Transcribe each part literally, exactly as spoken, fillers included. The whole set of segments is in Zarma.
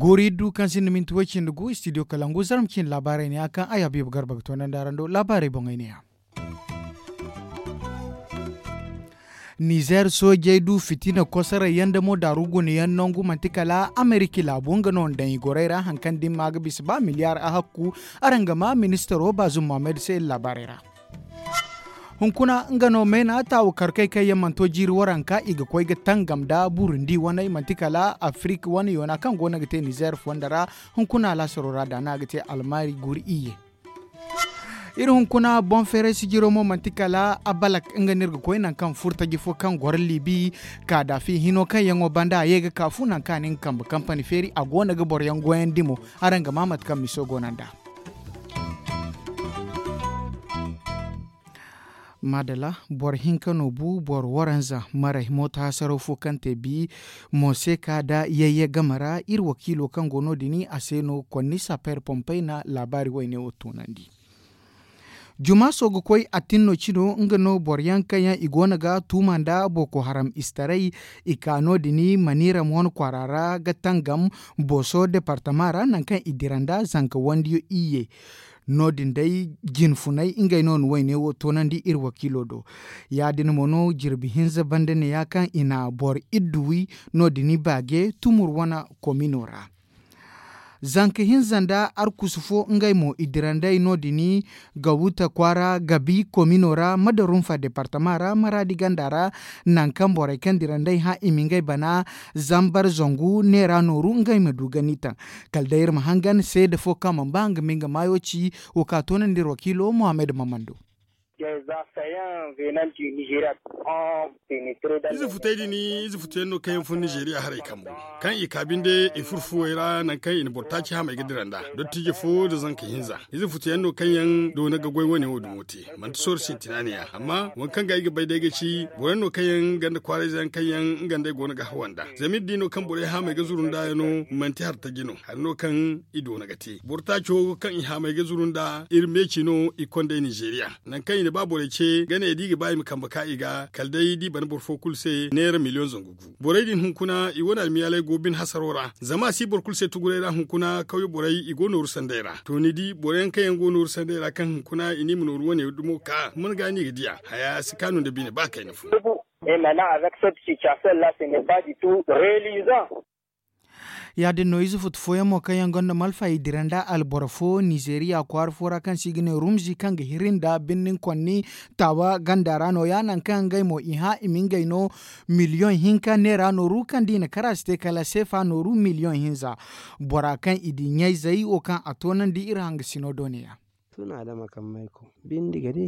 Goori du kaŋ sinda minti way cindi gu studio kalangu zarma cindi laabaarey ne a kaŋ ay habiibu garba ga toonandi araŋ do laabaarey boŋey ne ya. Nizeer soojey du fitina kosoray yaŋ da mo daaru guna yaŋ nangu manti kala ameriki laabu nga no nda i gorey ra hari kaŋ da ni ma ga bisa ba miliyaar a hakku. Araŋ ga ma ministaro baazum mohammed se iri laabaarey ra. Hunkuna nga no mayna taawu karkey kaŋ yaŋ mana to jiiri waranka i ga koy ga tangam nda burundi waney manti kala afirik wane yoona kaŋ go no ga te nizeer fonda ra. Hunkuna laasaro ra da no a ga te almaari guuri iyye. Iri hunkuna boŋ feeray sijiro mo manti kala abalak nga no iri ga koy nangu kaŋ furtaji fo kaŋ goro liibi kaadaafi hino kaŋ yaŋo banda a ye ga kaafu nangu kaŋ a na nga kambe kampani feeri a go no ga boro yaŋ goyandi mo. Araŋ ga ma mate kaŋ miso go no nd'a. Maadala boro hinka no bu boro waranza maray mooto hasaraw fo kaŋ te bi mo se ka da yayye game ra iri wakiilo kaŋ go no- din a se no konni sapeer pompey na laabaari wayne wo tunandi. Jumaaso ga koy attinno cino nga no boro yaŋ kaŋ yaŋ i go no ga tuuma nda boko haram istaray i ka no- din maniira mo wane kwaara ra ga tangam booso departama ra nangu kaŋ i dira nda zanka wandiyo iyye. No- din day jinfunay ngey no na wayne wo toonandi iri wakiilo do. Ya- din mo no jirbi hinza banda neeya kaŋ i na boro iddu wi no- din baaje tumur wane komino ra. Zanka hinza nda arkusu fo ngey mo i dira nd'ey no- din ga wuta kwaara gabi komino ra madarunfa departama ra maraadi ganda ra. Nangu kaŋ borey kaŋ dira nd'ey hã i ma ngey bana zambar zangu neera nooru ngey ma du ga ni taŋ. Kala day iri ma hangan seede fo kaŋ mana ba nga ma nga maayo ci. Wo ka toonandi iri wakiilo mohammed mamando. Ize futey din ize futu yaŋ no kaŋ yaŋ fun nizeeriya haray kambu kaŋ i ka binde i furfuwey ra nangu kaŋ i na boro taaci hamey ga dira nd'a. Dottijo fo nda zanka hinza ize futu yaŋ no kaŋ yaŋ doona ga goy wane wo dumo te. Manti sooro sintina ne ya amma waŋ kaŋ ga ay ga bay day ga ci boro yaŋ no kaŋ yaŋ ganda kwaarayze yaŋ kaŋ yaŋ nga nd'ey go no ga hawa nd'a. Zama iri di no kaŋ borey haamey ga zuru nd'a yaŋo manti hari taji no hari no kaŋ i doona ga te boro taaco kaŋ i haamey ga zuru nd'a iri meeci no i kond'ey nizeeriya. Nangu kaŋ i na ba borey ce ga ne da i ga ba i ma kambe ka i ga kala day da i bana boro fo kulu se neera miliyoŋ zangu gu. Borey din hunkuna i wane almiyaaley go bine hasaro ra zama a si boro kulu se tuguray ra hunkuna kawye borey i go nooru sanday ra to ni di boro yaŋ kaŋ yaŋ go nooru sanday ra kaŋ hunkuna i ne i ma nooru wane dumo ka mana ga no i ga diya haya si kaanu nda bine ba kayna fo. Et maintenant avec cette situation là ce n'est pas du tout reluisant. Ya- din no ize futu fooyaŋ mo kaŋ yaŋ gonda malfa i dira nda alboro fo nizeeriya kwaara fo ra kaŋ se i ga ne rumzi kaŋ ga hiri nda birnin konni taawa ganda ra no- ya nangu kaŋ ngey mo i hã i ma ngey no miliyoŋ hinka neera nooru kaŋ da i na kar a si te kala seefa nooru miliyoŋ hinza. Bora kaŋ i di ɲayzey wo kaŋ a toonandi iri hangasino do ne- ya.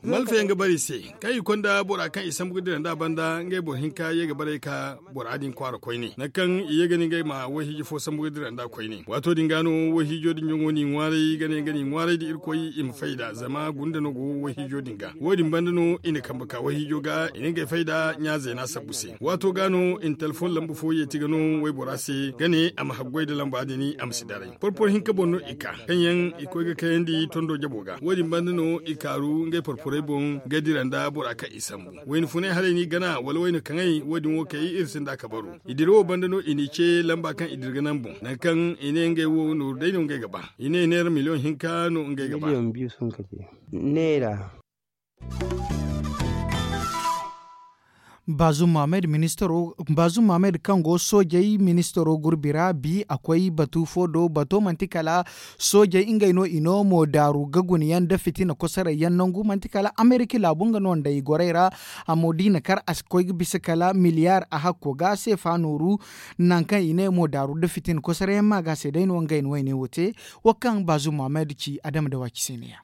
Malfa yaŋ ga bare i se kaŋ i konda bora kaŋ i sambu ga dira nd'a banda ngey boro hinka ye ga bare ka bora din kwaara koyne nangu kaŋ i ye ga ne ngey ma wayhiijo fo sambu ga dira nd'a koyne waato din ga no wayhiijo din ɲaŋo n'i ŋwaaray ga ne nga n'i ŋwaaray nda irkoy i ma fayda zama gunda no go wayhiijo din ga wo- din banda no i na kambe ka wayhiijo ga i na ngey fayda ɲa zeena sabbu se waato ga no i na telefoŋ lamba fo yeeti ga no waybora se ga ne a ma haggoy nda lamba din a ma si daray porporo hinka boŋ no i ka kaŋ yaŋ i koy ga kayandi tondo jabo ga wo- din banda no i kaaru ngey porporey boŋ ga dira nda bora kaŋ i sambu wayna funay haray no i gana wala wayna kaŋay wo- din wo kay iri sinda a kabaru i dira wo banda no i n'i ce lamba kaŋ i dira ga naŋ boŋ nangu kaŋ i ne ngey wo nooru day no ngey ga ba i ne neera miliyoŋ hinka no ngey ga ba. Neera. Baazum mohammed kaŋ go soojey ministaro gurbi ra bi a koy batu fo do bato manti kala soojey ngey no i no mo daaru ga guna yaŋ nda fitina kosoray yaŋ nangu manti kala amerika laabu nga no nda i gorey ra. Amma da i na kar a si koy ga bisa kala miliyaar a hakko ga seefa nooru nangu kaŋ i ne mo daaru nda fitina kosoray yaŋ ma ga se day no ngey na wayne wo te. Wo kaŋ baazum mohammed ci adama da waaci se ne- ya.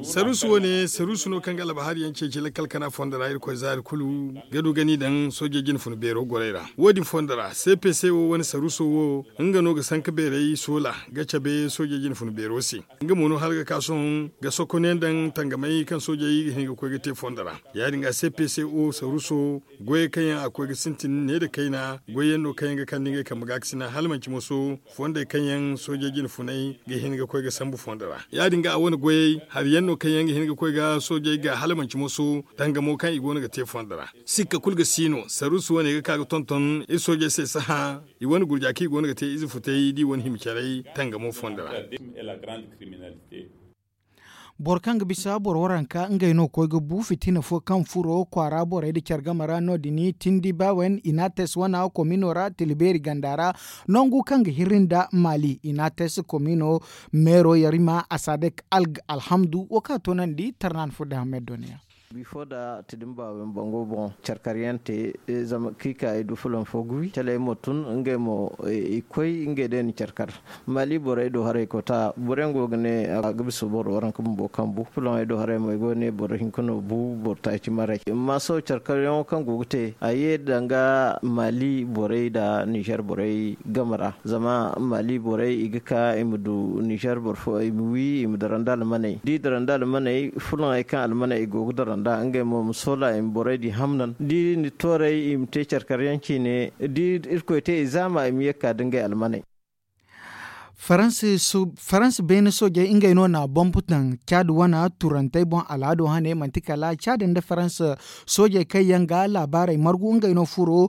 Saruusu wane saruusu no kaŋ ga albahari yaŋ ceeci lakkal kana fondo ra irkoy zaari kulu ga du ga ni daŋ soojey jinfuna beero gorey ra. Wo- din fondo ra cpc wo wane saruuso wo nga no ga sanka beerey soola ga cabe soojey jinfuna beero se. Nga mo no hala ga ka sohõ ga sokono yaŋ daŋ tangamey kaŋ soojey ga hin ga koy ga te fondo ra. Ya- din ga cpc wo saruuso goyey kaŋ yaŋ a ga koy ga sintin ne nda kayna goy yaŋ no kaŋ yaŋ ga kande ngey kambe gaakasina hala manci moso fondey kaŋ yaŋ soojey jinfunay ga hin ga koy ga sambu fondo ra. Ya- din ga a wane goyey hari yaŋ no kaŋ yaŋ ga hin ga koy ga soojey ga hala manci moso tangamo kaŋ i go no ga te fondo ra. Sikka kulu ga si no saruusu wane ga ka ga tonton iri soojey se sahã i wane gurja kaŋ i go no ga te ize futay da i wane hima caray tangamo fondo ra. Boro kaŋ ga bisa boro waranka ngey no koy ga bu fitina fo kaŋ furo kwaara borey nda care game ra no- din tindi bawen inates wana komino ra tilbeeri ganda ra. Nangu kaŋ ga hirri nda maali inates komino meero yarima asadek alg alhamdu wo kaŋ a toonandi tarnan fo da hamed doniya. Bifo da tidin bawen bango boŋ care kar yaŋ te zama kaŋ i ka i du fulan fo ga wi caley mo tun ngey mo i koy ngey day na care kar. Maali borey do haray kota boro yaŋ go ga ne a ga bisa boro waranka bumbo kambu fulaŋey do haray mo i go ga ne boro hinka no bu boro taaci maray. Amma sohõ care karyaŋo kaŋ go ga te a ye danga maali borey nda nizer borey game ra zama maali borey i ga ka i ma du nizer boro fo i ma wi i ma dara nda almaney da i dara nda almaney fulaŋey kaŋ almaney i go ga dara nda ngey mo ma soola i ma borey di hamnan da i na tooray i ma te care karyaŋ ciine da irkoy te i zaama i ma ye ga ka da ngey almaney. Faransa beene soojey ngey no na bomb taŋ caadi wane turantey boŋ alhado hane manti kala caadi nda faransa soojey kaŋ yaŋ ga laabaarey margu ngey no furo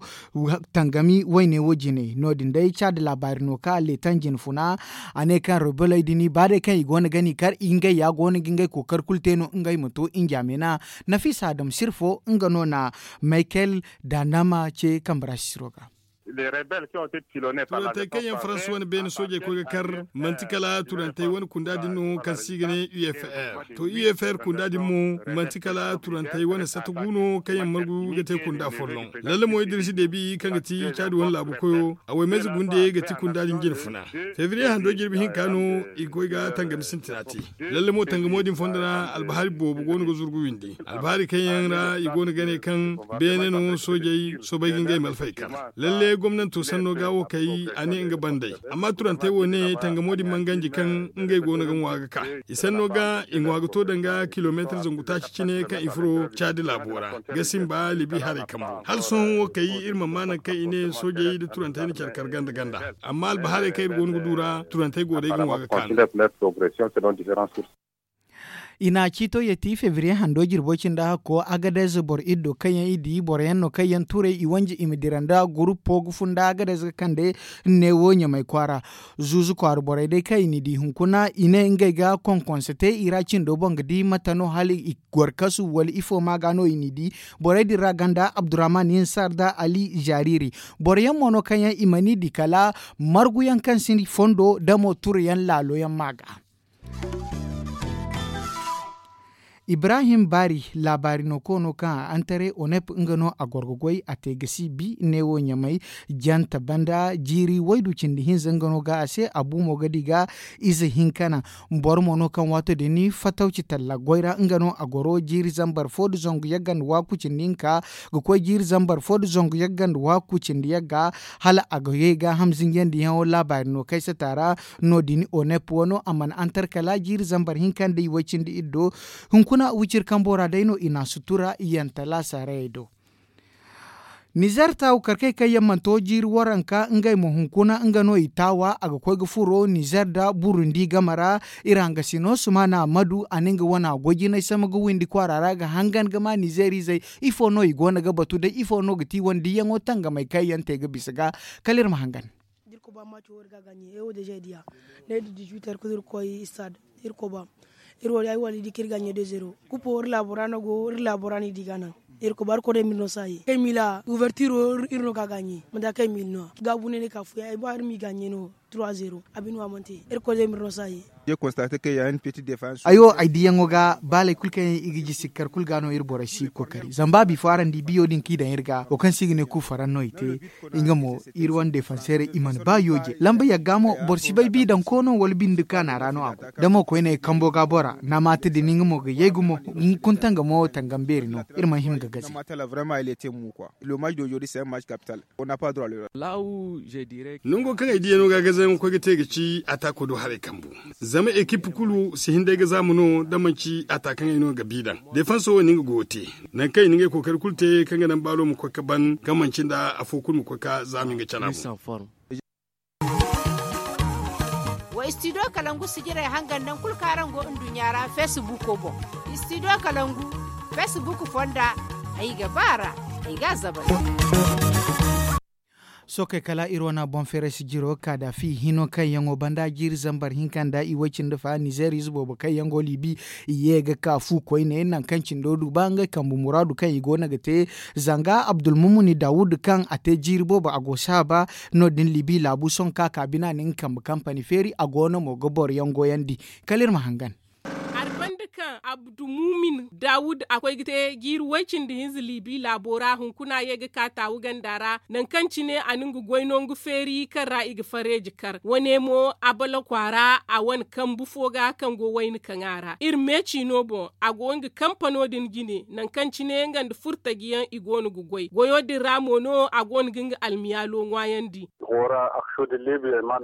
tangami wayne wo jine no- din day caadi laabaari no kaŋ a leetaŋ jinfuna. A ne kaŋ rebeley din ba day kaŋ i go no ga ni kar ngey ya go no ga ngey kookari kulu te no ngey ma to njaamina. Nafiisa adam sirfo nga no na michael danama ce kambe ra sisiro ga. Turantey kaŋ yaŋ faransa wane beene soojey koy ga kar manti kala turantey wane kunda din no kaŋ se i ga ne u f r to u f r kunda din mo manti kala turantey wane sata gu no kaŋ yaŋ margu ga te kunda folloŋ. Lalle mo idirisi debi kaŋ ga ti caadi wane laabu koyo a waymayze gunde ga ti kunda din jine funa. Febriye hando jirbi hinka no i ga koy ga tangami sintina te. Lalle mo tangamo din fondo ra albahari boobo go no ga zurgu windi albahari kaŋ yaŋ ra i go no ga ne kaŋ beene no soojey soobay ga ngey malfey kar. Lalle gomnanto sanno ga wo kay a ne nga bandey amma turantey wo ne tangamo din man ganji kaŋ ngey go no ga ŋwa ga ka i sanno ga i ŋwa ga to danga kilomeetar zangu taaci cine kaŋ i furo caadi laabo ra ga simba libi haray kambu hala sohõ wo kay iri mana ma naŋ kaŋ i ne soojey nda turantey na care kar ganda ganda. Amma albahaarey kaŋ iri go no ga du ra turantey go day ga ŋwa ga ka no. I na ciito yeti febriye hando jirbo cindi hakko agadez boro iddo kaŋ yaŋ i di boro yaŋ no kaŋ yaŋ turay i wanji i ma dira nda gurupo ga funda agadez ga kande neewo ɲamay kwaara. Zuuzu kwaara borey day kaŋ i n'i di hunkuna i ne ngey ga konkonse te i ra cindo boŋ ga di mate no hala i goro kasu wala ifo ma ga no i n'i di. Borey din ra ganda abdurrahman yansar nda ali zariri. Boro yaŋ mo no kaŋ yaŋ i mana i di kala margu yaŋ kaŋ si fondo damo turu yaŋ laalo yaŋ ma ga. Ibrahim bari laabaari no koono kaŋ a antare onep nga no a goro ga goy a te ga si bi neewo ɲamay jante banda jiiri waydu cindi hinza nga no ga a se a bu mo ga di ga ize hinka naŋ. Boro mo no kaŋ waato din fatawci talla goy ra nga no a goro jiiri zambar fo nda zangu yagga nda waaku cindi hinka ga koy jiiri zambar fo nda zangu yagga nda waaku cindi yagga hala a ga ye ga hamzinjandiyaŋo laabaari no kaysata ra. No- din onep wano a mana antar kala jiiri zambar hinka nda i way cindi iri do. Hunkuna wiciri kambo ra day no i na a sutura yanta laasarayey do. Nizer taawu karkey kaŋ yaŋ mana to jiiri waranka ngey mo hunkuna nga no i taawa a ga koy ga furo nizer nda burundi game ra. Iri hangasino sumana madu a na nga wana goy jinay sama ga windi kwaara ra ga hangan ga ma nizer izey. Ifo no i go no ga batu day ifo no ga ti wane diyaŋo tangamay kaŋ yaŋ te ga bisa ga kala iri ma hangan. Iri koba maco wo iri ga gaɲe e wo deja i diya. Ne da dix-huit heures kulu iri koy stade iri koba. Iri wo ay wala i di ka iri gaɲe deux zéro kupo iri laabo ra no go iri laabo ra no i di ga naŋ. Iri koba iri koy day mil no saayi kay mila ouverture wo iri no ga gaɲe manda kay mil no gaabu ne ne ka fuya ay ba iri m'i gaɲe no. Ay wo ay diyaŋo ga baaley kulu kaŋ yaŋ i ga jisi kar kulu ga no iri borey si ga kookari zama ba bifo araŋ di biyo din kaŋ i daŋ iri ga wo kaŋ se i ga ne kuufaraŋ no i te. Nga mo iri wane defanseerey i mana ba yooje lamba yagga mo boro si bay bi daŋ koono wala binde kaana ra no a go. Da mo koyne kambo ga bora naamaata din nga mo ga yay gumo. Kuntanga mo tangam beeri no iri mana hima ga gaze. Nango kaŋ ay diya no ga gaze yaŋ ga koy ga te ga ci a taako do haray kambu. Zama ekip kulu si hin day ga zaama no da manci a ta kaŋ ay no ga bi daŋ defanso wo ni nga goyo te. Nangu kaŋ i na ngey kookari kulu te kaŋ ga naŋ baalo ma koy ga ban kaŋ manci nda afo kulu ma koy ga zaama nga cala boŋ. Wa istidiyo kalangu sijirey hangan naŋ kulu kaŋ araŋ go nduɲɲa ra feesibuko boŋ. Istidiyo kalangu feesibuku fonda ay ga ba a ra. Ay ga a zabal. Sookey kala iri wane boŋ feeray sijiro kaada fi hino kaŋ yaŋo banda jiiri zambar hinka nda i way cindi fa nizeer ize boobo kaŋ yaŋ go liibi. I ye ga ka fu koyne nangu kaŋ cindo du ba ngey kambe muraadu kaŋ i go no ga te. Zanga abdulmumuni dawud kaŋ a te jiiri boobo a go saaba no- din liibi laabu sohõ kaŋ a ka bina na nga kambe kampani feeri a go no mo ga boro yaŋ goyandi. Kala iri ma hangan. Hari banda kaŋ abdulmumin dawud a koy ga te jiiri way cindi hinza liibi laabo ra hunkuna ye ga ka taawu ganda ra nangu kaŋ cine a na nga goy nangu feeri kaŋ ra i ga fareeji kar wane mo a bala kwaara a wane kambu fo ga kaŋ go wayna kaŋ a ra iri meeci no boŋ a go nga kampano din jine nangu kaŋ cine nga nda furtaji yaŋ i go no ga goy goyo din ra mo no a go no ga nga almiyaalo ŋwaayandi.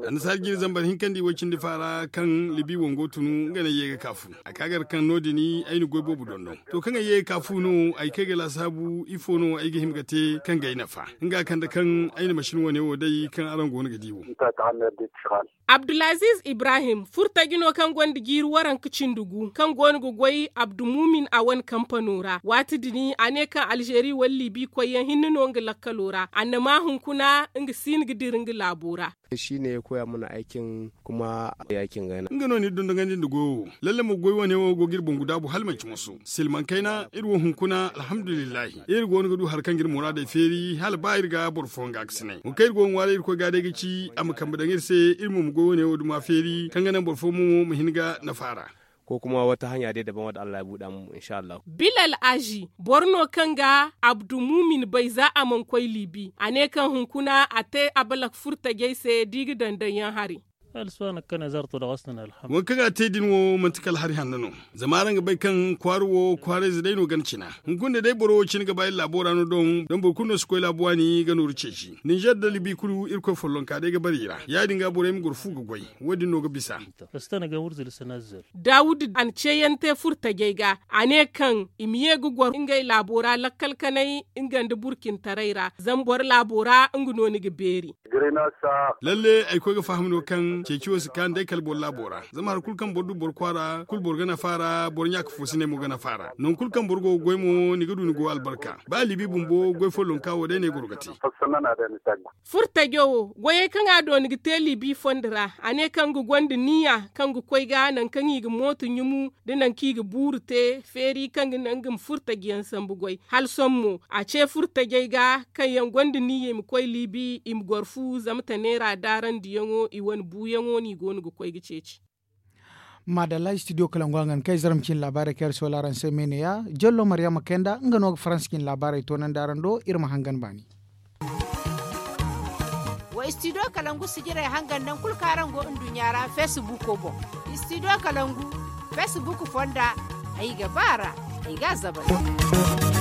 Annasaari jiiri zambar hinka nda i way cindi faara kaŋ libi wango tunu nga no ay ye ga ka fu a ka gar kaŋ no- din ay na goy boobo dondon. To kaŋ ay ye ga ka fu no ay kay ga laasaabu ifo no ay ga hima ga te kaŋ ga ay nafa nga kande kaŋ ay na masin wane wo day kaŋ araŋ go no ga di wo. Abdulaziiz ibrahim furtaji no kaŋ gonda jiiri waranka cindi gu kaŋ go no ga goy abdulmumin a wane kampano ra waati din a ne kaŋ alzeeri wala libi koyyaŋ hinne no nga lakkalo ra annama hunkuna nga si no ga dira nga laabo ra. Shi ne ya koya mana aikin kuma aikin gana. Nga no ni dondogandi nda goyo wo lalle ma goy wane wo go ga iri boŋ gudaabu hala manci moso silmaŋ kayna iri wo hunkuna alhamdulillahi iri go no ga du hari kaŋ ga iri muraadey feeri hala ba iri ga boro fooyaŋ ga a ga sinay hunkuna iri go ga ŋwaaray irkoy ga day ga ci a ma kambe daŋ iri se iri mo ma goy wane wo duma feeri kaŋ ga naŋ boro fooyaŋ mo ma hin ga nafa ra. Ko kuma wata hanya day daban wadda allah ya buuda mu insha allah. Bilal azi boro no kaŋ ga abdulmumin bay za a mana koy liibi a ne kaŋ hunkuna a te abalak furtajey se da i ga daŋ daŋ yaŋ hari. Waŋ kaŋ a te din wo manti kala hari hanno no. Zama araŋ ga bay kaŋ kwaara wo kwaarayze day no gana cina. Hunkuna day boro wo cine ga ba iri laabo ra no doŋ doŋ boro kulu no si koy laabu waani ga nooru ceeci ninzeer da libi kulu irkoy follonka day ga bare i ra ya- din ga borey ma goro fu ga goy. Wo- din no ga bisa. Daawuda a na ceeyaŋ te furtajey ga a ne kaŋ i ma ye ga goro ngey laabo ra lakkal kanay nga nda burkintaray ra zama boro laabo ra nga no ni ga beeri. Lalle ay koy ga faham no kaŋ ceeci wo si kaanu day kala boro laabo ra zama hari kulu kaŋ boro du boro kwaara kulu boro ga nafa a ra boro ɲaaka foosiney mo ga nafa a ra nangu kulu kaŋ boro go ga goy mo ni ga du ni go albarka ba libi bumbo goy follonka wo day no ay goro ga te. Furtajo wo goyey kaŋ a do ni ga te libi fondo ra a ne kaŋ ga gonda niya kaŋ ga koy ga nangu kaŋ i ga mooto ɲumu nda nangu kaŋ i ga buuru te feeri kaŋ ga naŋ ga ma furtajiyaŋ sambu goy hala sohõ mo a ce furtajey ga kaŋ yaŋ gonda niya i ma koy liibi i ma goro fu zama taneera daarandiyaŋo i wane buuyaŋo no i go no ga koy ga ceeci. Maadalla istidiyo kalangu a ga ni kay zarma cine laabaarey kaŋ iri soola araŋ se me ne ya jallo maryama kayanda nga no ga faransa cine laabaarey toonandi araŋ do iri ma hangan baani. Wa istidiyo kalangu sijirey hangan naŋ kulu kaŋ araŋ go nduɲɲa ra feesibuko boŋ. Istidiyo kalangu feesibuku fonda ay ga ba a ra ay ga a zabari.